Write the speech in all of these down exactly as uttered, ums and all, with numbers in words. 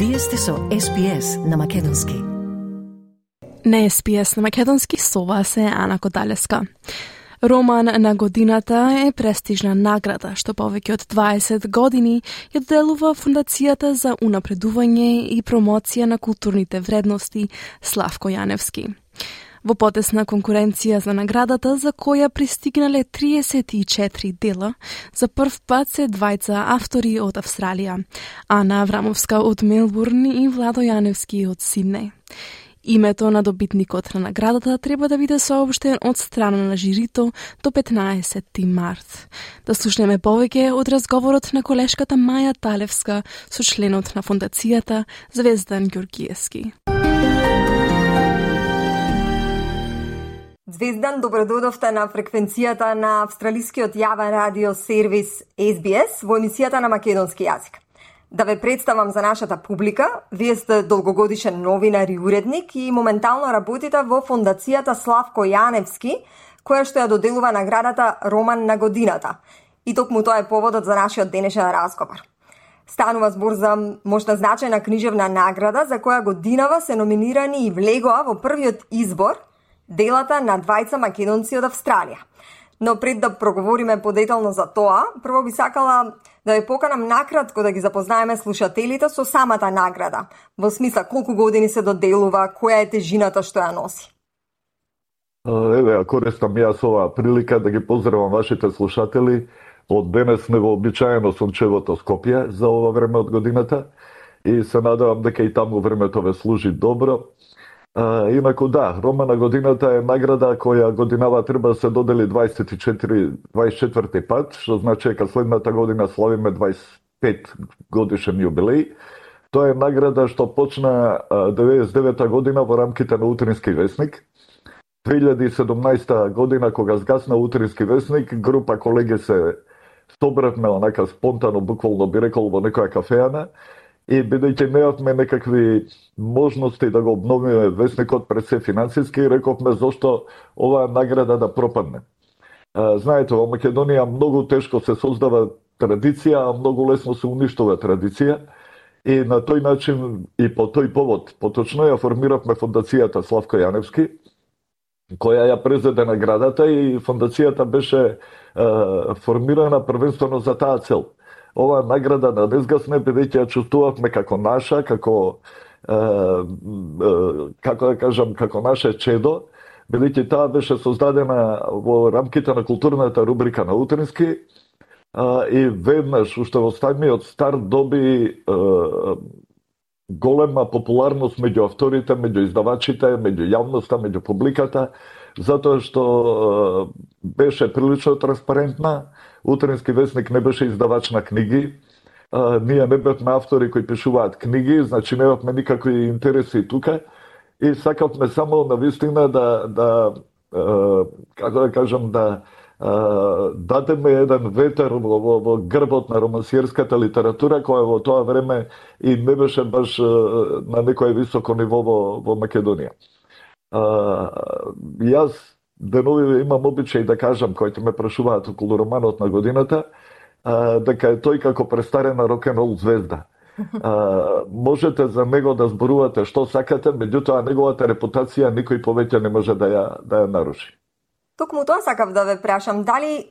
Вие сте со Ес Би Ес на Македонски. На Ес Би Ес на Македонски со вас е Ана Кодалеска. Роман на годината е престижна награда што повеќе од дваесет години ја доделува Фондацијата за унапредување и промоција на културните вредности Славко Јаневски. Во потесна конкуренција за наградата, за која пристигнале триесет и четири дела, за прв пат се двајца автори од Австралија, Ана Аврамовска од Мелбурн и Владо Јаневски од Сиднеј. Името на добитникот на наградата треба да биде соопштен од страна на жирито до петнаесети март. Да слушнеме повеќе од разговорот на колешката Маја Талевска со членот на Фондацијата Звездан Ѓоргиевски. Звездан, добрододовте на фреквенцијата на австралискиот јавен радио сервис Ес Би Ес во емисијата на македонски јазик. Да ве представам за нашата публика, вие сте долгогодишен новинар и уредник и моментално работите во Фондацијата Славко Јаневски, која што ја доделува наградата Роман на годината. И токму тоа е поводот за нашиот денешен разговор. Станува збор за можна значајна книжевна награда за која годинава се номинирани и влегоа во првиот избор делата на двајца македонци од Австралија. Но пред да проговориме подетално за тоа, прво би сакала да ве поканам накратко да ги запознаеме слушателите со самата награда. Во смисла, колку години се доделува, која е тежината што ја носи? Еве, ја користам јас оваа прилика да ги поздравам вашите слушатели од денес невообичаено сончевото Скопје за ова време од годината и се надевам дека и таму времето ве служи добро. А, инаку да, Роман на годината е награда која годинава треба да се додели дваесет и четврти пат, што значи дека следната година славиме дваесет и пет годишен јубилеј. Тоа е награда што почна деветдесет и девета година во рамките на Утрински весник. две илјади и седумнаесета година кога згасна Утрински весник, група колеги се собравме онака спонтано, буквално би рекол, во некоја кафеана. И бидејќи неавме некакви можности да го обновиме весникот пред се финансиски, рековме зошто оваа награда да пропадне. А, знаете, во Македонија многу тешко се создава традиција, а многу лесно се уништува традиција. И на тој начин и по тој повод, поточно ја формиравме Фондацијата Славко Јаневски, која ја презеде наградата и фондацијата беше а, формирана првенствено за таа цел. Ова награда да не згасне, бидејќи ја чувствувавме како наша, како е, е, како да кажам, како наше чедо, бидејќи таа беше создадена во рамките на културната рубрика на Утрински е, и веднаш уште во самиот старт доби е, голема популарност меѓу авторите, меѓу издавачите, меѓу јавноста, меѓу публиката, затоа што е, беше прилично транспарентна. Утрински весник не беше издавач на книги, а, ние не бевме автори кои пишуваат книги, значи немавме никакви интереси тука и сакавме само на вистина да, да а, како да кажам, да а, дадеме еден ветер во, во, во грбот на романсиерската литература, која во тоа време и не беше баш а, на некој високо ниво во, во Македонија. А, јас денови имам обичај да кажам, кои ме прашуваат околу романот на годината, а, дека е тој како престарена рок-н-рол звезда. А, можете за него да зборувате што сакате, меѓутоа неговата репутација никој повеќе не може да ја, да ја наруши. Токму тоа сакав да ве прашам, дали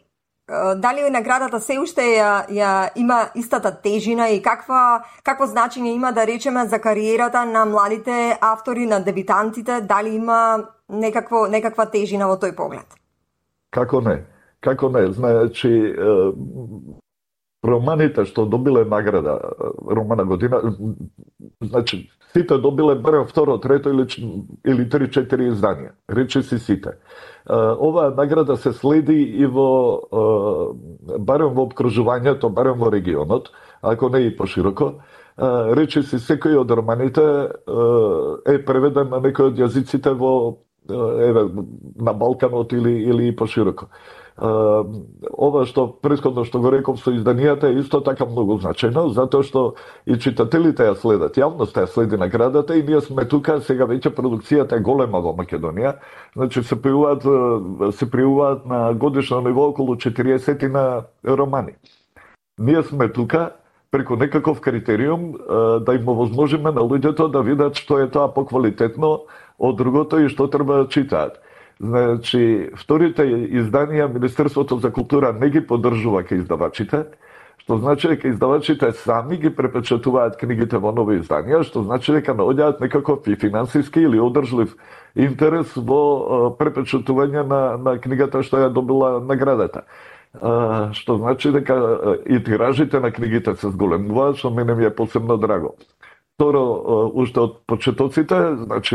дали наградата се уште ја, ја има истата тежина и каква какво значење има, да речеме, за кариерата на младите автори, на дебитантите, дали има некакво некаква тежина во тој поглед? Како не? Како не? Значи, романите што добиле награда Роман на година, значи сите добиле барем второ, трето или или три-четири изданија. Речи си сите. Оваа награда се следи и во барем во обкружувањето, барем во регионот, ако не и пошироко. Речи си секој од романите е преведен на некој од јазиците во еве на Балканот или или и пошироко. Uh, ова што претходно што го реков со изданијата е исто така многу значајно, затоа што и читателите ја следат, јавноста ја следи наградата и ние сме тука, сега веќе продукцијата е голема во Македонија, значи се пријуваат се пријуваат на годишно ниво околу четириесет на романи. Ние сме тука преку некаков критериум да им овозможиме на луѓето да видат што е тоа поквалитетно од другото и што треба да читаат. Значи, вторите изданија Министерството за култура не ги поддржува ке издавачите, што значи дека издавачите сами ги препечатуваат книгите во нови изданија, што значи дека наоѓаат некаков и финансиски или одржлив интерес во препечатување на, на книгата што ја добила наградата. Uh, што значи дека uh, и тиражите на книгите се зголемуваат, што мене ми е посебно драго. Второ, uh, уште од почетоците, значи,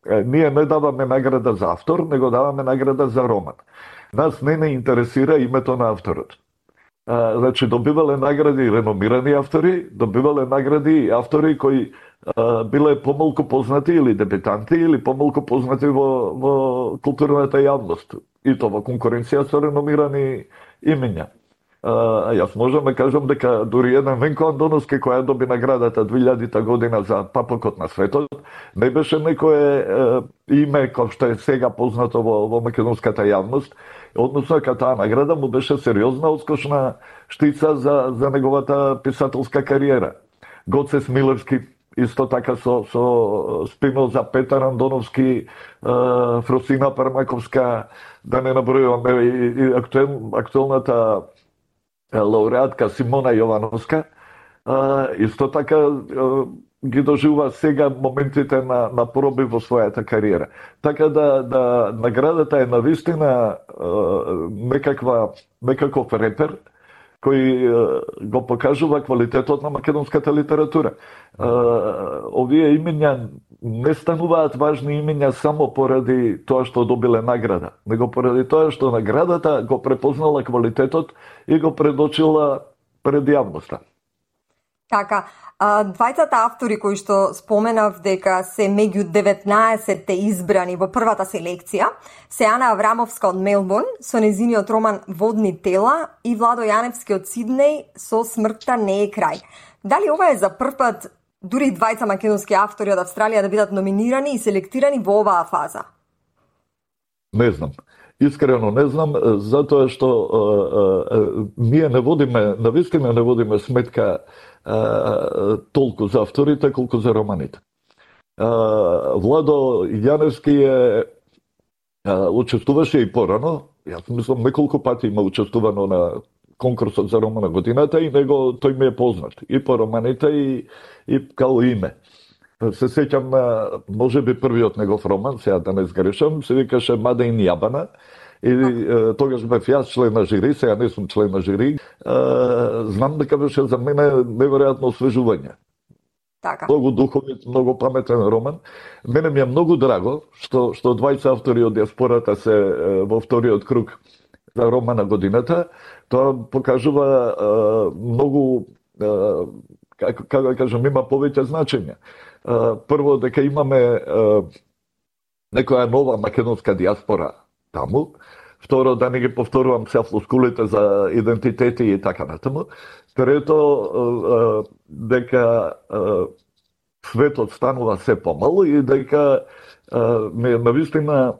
uh, ние не даваме награда за автор, него даваме награда за роман. Нас не не интересира името на авторот. Uh, значи, добивале награди реномирани автори, добивале награди и автори кои uh, биле помалку познати или дебютанти, или помалку познати во, во културната јавност. И тоа во конкуренција со реномирани имења. А, јас можам да кажам дека дури еден Венко Андоновски, која доби наградата две илјадита година за Папокот на светот, не беше некое е, име кој што е сега познато во, во македонската јавност, односно дека таа награда му беше сериозна одскочна штица за, за неговата писателска кариера. Гоце Смилевски, исто така со, со Спиноза, Петар Андоновски, Фросина Пармаковска, да не набројуваме, и, и актуел, актуелната лауреатка Симона Јовановска, исто така ги доживува сега моментите на, на проби во својата кариера. Така да, да наградата е навистина некаква, некаков репер, кој го покажува квалитетот на македонската литература. Овие имења не стануваат важни имења само поради тоа што добиле награда, него поради тоа што наградата го препознала квалитетот и го предочила пред јавноста. Така, двајцата автори кои што споменав дека се меѓу деветнаесетте избрани во првата селекција, се Ана Аврамовска од Мелбурн со незиниот роман Водни тела и Владо Јаневски од Сиднеј со Смртта не е крај. Дали ова е за прв пат дури двајца македонски автори од Австралија да бидат номинирани и селектирани во оваа фаза? Не знам. Искрено не знам, затоа што а, а, ние не водиме, навистина не водиме сметка а, толку за авторите, колку за романите. А, Владо Јаневски е а, учествуваше и порано, јас мислам неколку пати има учествувано на конкурсот за роман на годината и него тој ми е познат и по романите и, и као име. Се сеќам на, може би првиот негов роман, сега да не сгрешам, се викаше Мадеин Јабана, и е, тогаш бев јас член на жири, сега не сум член на жири, е, знам дека беше за мене неверојатно освежување. Така. Многу духовит, многу паметен роман. Мене ми е многу драго што, што двајца автори од диаспората се е, во вториот круг за роман на годината. Тоа покажува е, многу, е, како, како да кажам, има повеќе значење. Прво, дека имаме некоја нова македонска диаспора таму. Второ, да не ги повторувам се флоскулите за идентитети и така натаму. Трето, дека светот станува се помалу и дека ме навистина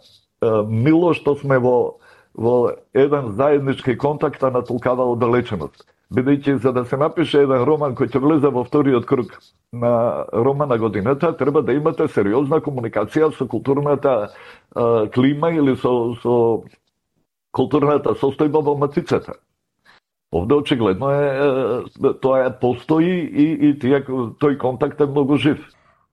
мило што сме во, во еден заеднички контакт, а натолкава оддалеченост. Бидејќи за да се напише еден роман кој ќе влезе во вториот круг на роман на годината, треба да имате сериозна комуникација со културната а, клима или со, со културната состојба во матицата. Овде очигледно е, е тоа е постои и, и тие, тој контакт е многу жив.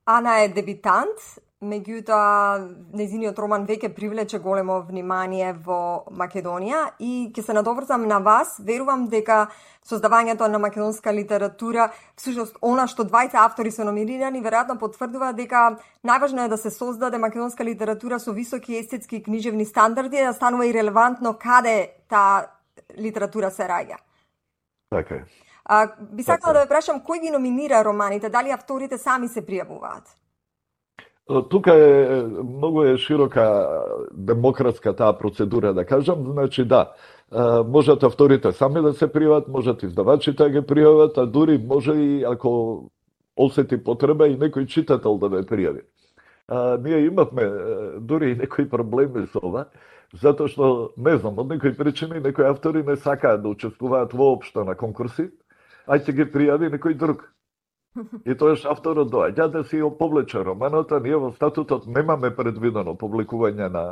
Ана е дебитант, меѓутоа незиниот роман веќе привлече големо внимание во Македонија и ќе се надоврзам на вас. Верувам дека создавањето на македонска литература, всушност она што двајца автори се номинирани, веројатно потврдува дека најважно е да се создаде македонска литература со високи естетски и книжевни стандарди, да станува и релевантно каде таа литература се раѓа. Така е. А, би сакала да ве прашам, кој ги номинира романите? Дали авторите сами се пријавуваат? Тука е многу е широка демократска таа процедура, да кажам, значи да, можат авторите сами да се пријават, можат издавачите да ги пријават, а дури може и ако осети потреба и некој читател да ве пријави. А, ние имавме дури и некои проблеми со ова, затоа што, не знам, од некои причини некои автори не сакаат да учествуваат воопшто на конкурси, ајде ги пријави некој друг. И тоаш авторот доаѓа да си ја повлече романот, а ние во статутот немаме предвидено публикување на,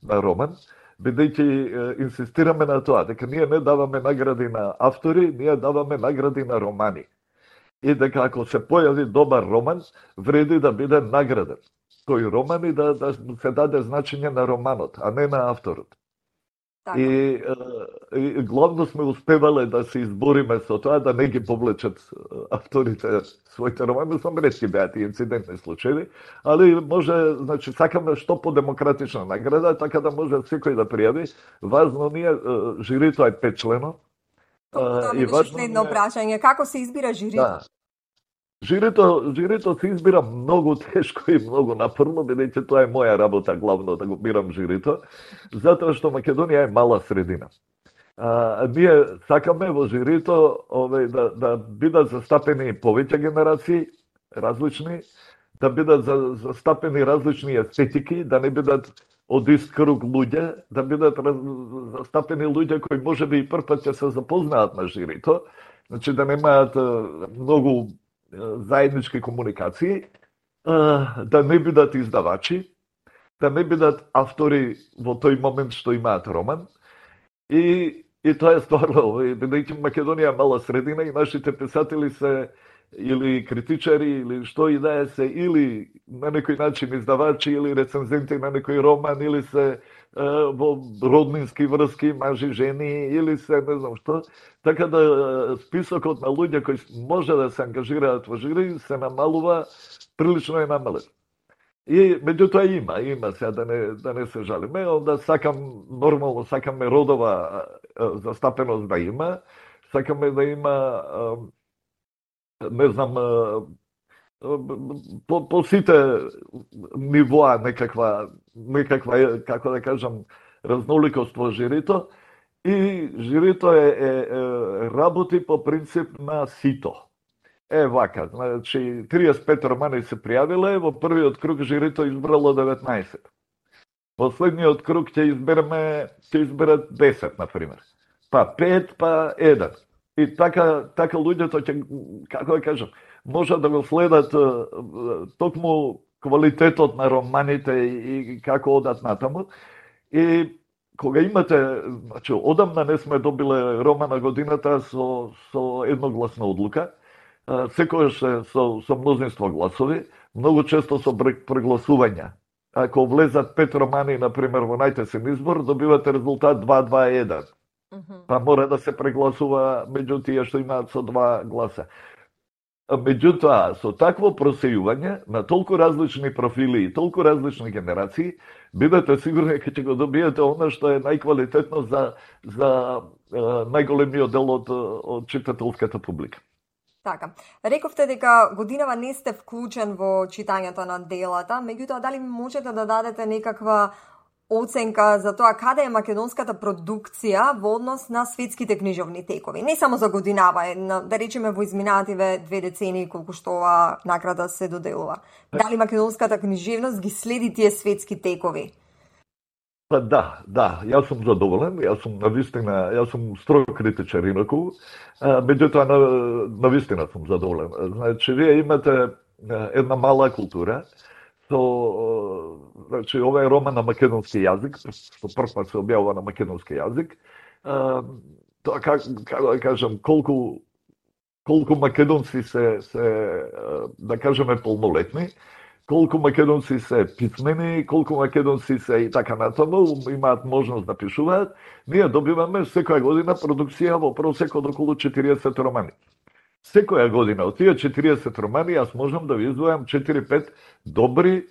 на роман, бидејќи инсистираме на тоа, дека ние не даваме награди на автори, ние даваме награди на романи. И дека ако се појави добар роман, вреди да биде награден. Тој роман и да, да се даде значење на романот, а не на авторот. Така. И, и главно сме успевале да се избориме со тоа, да не ги повлечат авторите своите романи, само ретки беа тие инцидентни случаи, али може, значи, сакаме што по-демократична награда, така да може секој да пријави. Важно ние, жирито е петчлено. Тоа ми беше следно прашање. Како се избира жирито? Да. Жирито, жирито се избира многу тешко и многу напорно, бидејќи тоа е моја работа главно да го бирам жирито, затоа што Македонија е мала средина. А, ние сакаме во жирито ове, да, да бидат застапени повеќе генерации, различни, да бидат за, застапени различни естетики, да не бидат од ист круг луѓе, да бидат раз, застапени луѓе кои можеби и прв пат ќе се запознаат на жирито, значи да немаат многу заеднички комуникации, да не бидат издавачи, да не бидат автори во тој момент што имаат роман. И, и тоа е стварно, бидејќи Македонија е мала средина и нашите писатели се или критичари, или што и да е се, или на некој начин издавачи, или рецензенти на некој роман, или се во роднински врски, мажи, жени, или се не знам што. Така да списокот на луѓе кои може да се ангажираат во жири се намалува, прилично е намален. И меѓутоа има, има сега да не, да не се жалиме, онда сакам, нормално сакаме родова застапеност да има, сакаме да има, не знам, по, по сите нивоа некаква, некаква, како да кажам, разноликост во жирито, и жирито е, е, е работи по принцип на сито. Е вака, значи триесет и пет романи се пријавиле, во првиот круг жирито избрало деветнаесет. Последниот круг ќе избереме, ќе изберат десет, например. Па пет, па еден. И така, така луѓето ќе, како да кажам, може да го следат токму квалитетот на романите и како одат натаму. И кога имате, значи, одамна не сме добиле рома на годината со, со едногласна одлука, секојаш со, со мнозинство гласови, многу често со прегласувања. Ако влезат пет романи, например, во најтесен избор, добивате резултат два два еден. Па мора да се прегласува меѓу тие што имаат со два гласа. Меѓутоа, со такво просејување на толку различни профили и толку различни генерации, бидете сигурни дека ќе го добиете она што е најквалитетно за, за е, најголемиот дел од, од читателската публика. Така. Рековте дека годинава не сте вклучен во читањето на делата, меѓутоа дали можете да дадете некаква оценка за тоа каде е македонската продукција во однос на светските книжовни текови? Не само за годинава, да речеме во изминативе две децении колку што ова награда се доделува. Дали македонската книжевност ги следи тие светски текови? Па да, да, јас сум задоволен, јас сум навистина, јас сум строг критичар инаку, меѓутоа на, навистина сум задоволен. Значи, вие имате една мала култура, со, значи, ова е роман на македонски јазик, што прв пат се објавува на македонски јазик. Тоа, как, како да кажам, колку, колку македонци се, се, да кажеме, полнолетни, колку македонци се писмени, колку македонци се и така натаму, имаат можност да пишуваат, ние добиваме секоја година продукција во просек од околу четириесет романи. Секоја година од тие четириесет романи јас можам да ви издвојам четири-пет добри,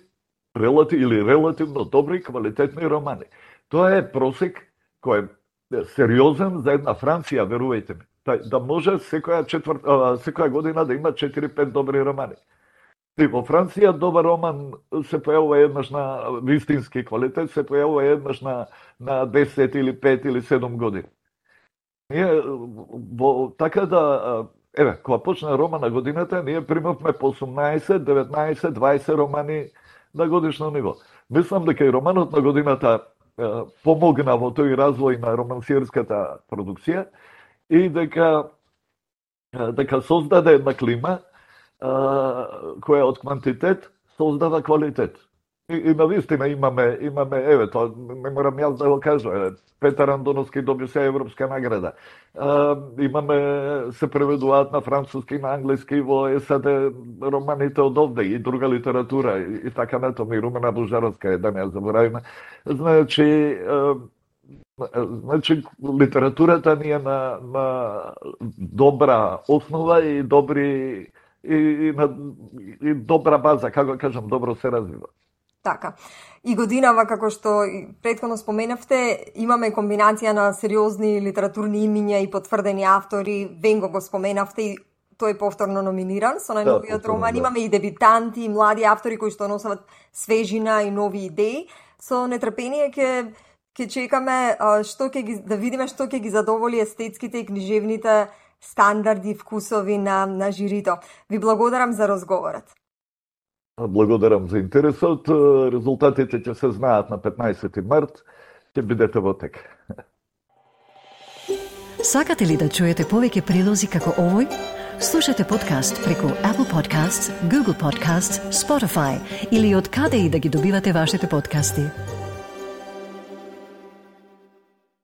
релати, или релативно добри, квалитетни романи. Тоа е просек кој е сериозен за една Франција, верувајте ми. Да може секоја, четвр... секоја година да има четири-пет добри романи. И во Франција добар роман се појавува еднаш на вистински квалитет, се појавува еднаш на, на десет или пет или седум години. Ние, во, така да, еве, кога почна роман на годината, ние примавме по осумнаесет, деветнаесет, дваесет романи на годишно ниво. Мислам дека и романот на годината е, помогна во тој развој на романсиерската продукција и дека дека создаде една клима која од квантитет создава квалитет. И, и навистина имаме, имаме, еве, тоа не морам јас да го кажам, Петар Андоновски доби се европска награда. А, имаме, се преведуваат на француски, на англиски, во САД романите од овде и друга литература и, и така натаму, и Румена Божаровска е, да не ја заборавиме. Значи, а, значи литературата ни е на, на добра основа и добри и, и, на, и добра база, како кажам, добро се развива. Така. И годинава, како што претходно споменавте, имаме комбинација на сериозни литературни имиња и потврдени автори. Венго го споменавте и тој е повторно номиниран со најновиот да, роман. Да. Имаме и дебитанти, и млади автори кои што носат свежина и нови идеи. Со нетрпение ќе ќе чекаме што ќе ги да видиме што ќе ги задоволи естетските и книжевните стандарди и вкусови на на жирито. Ви благодарам за разговорот. Благодарам за интересот. Резултатите ќе се знаат на петнаесети март. Ќе бидете во тек. Сакате ли да чуете повеќе прилози како овој? Слушате подкаст преку Apple Podcasts, Google Podcasts, Spotify или од каде и да ги добивате вашите подкасти.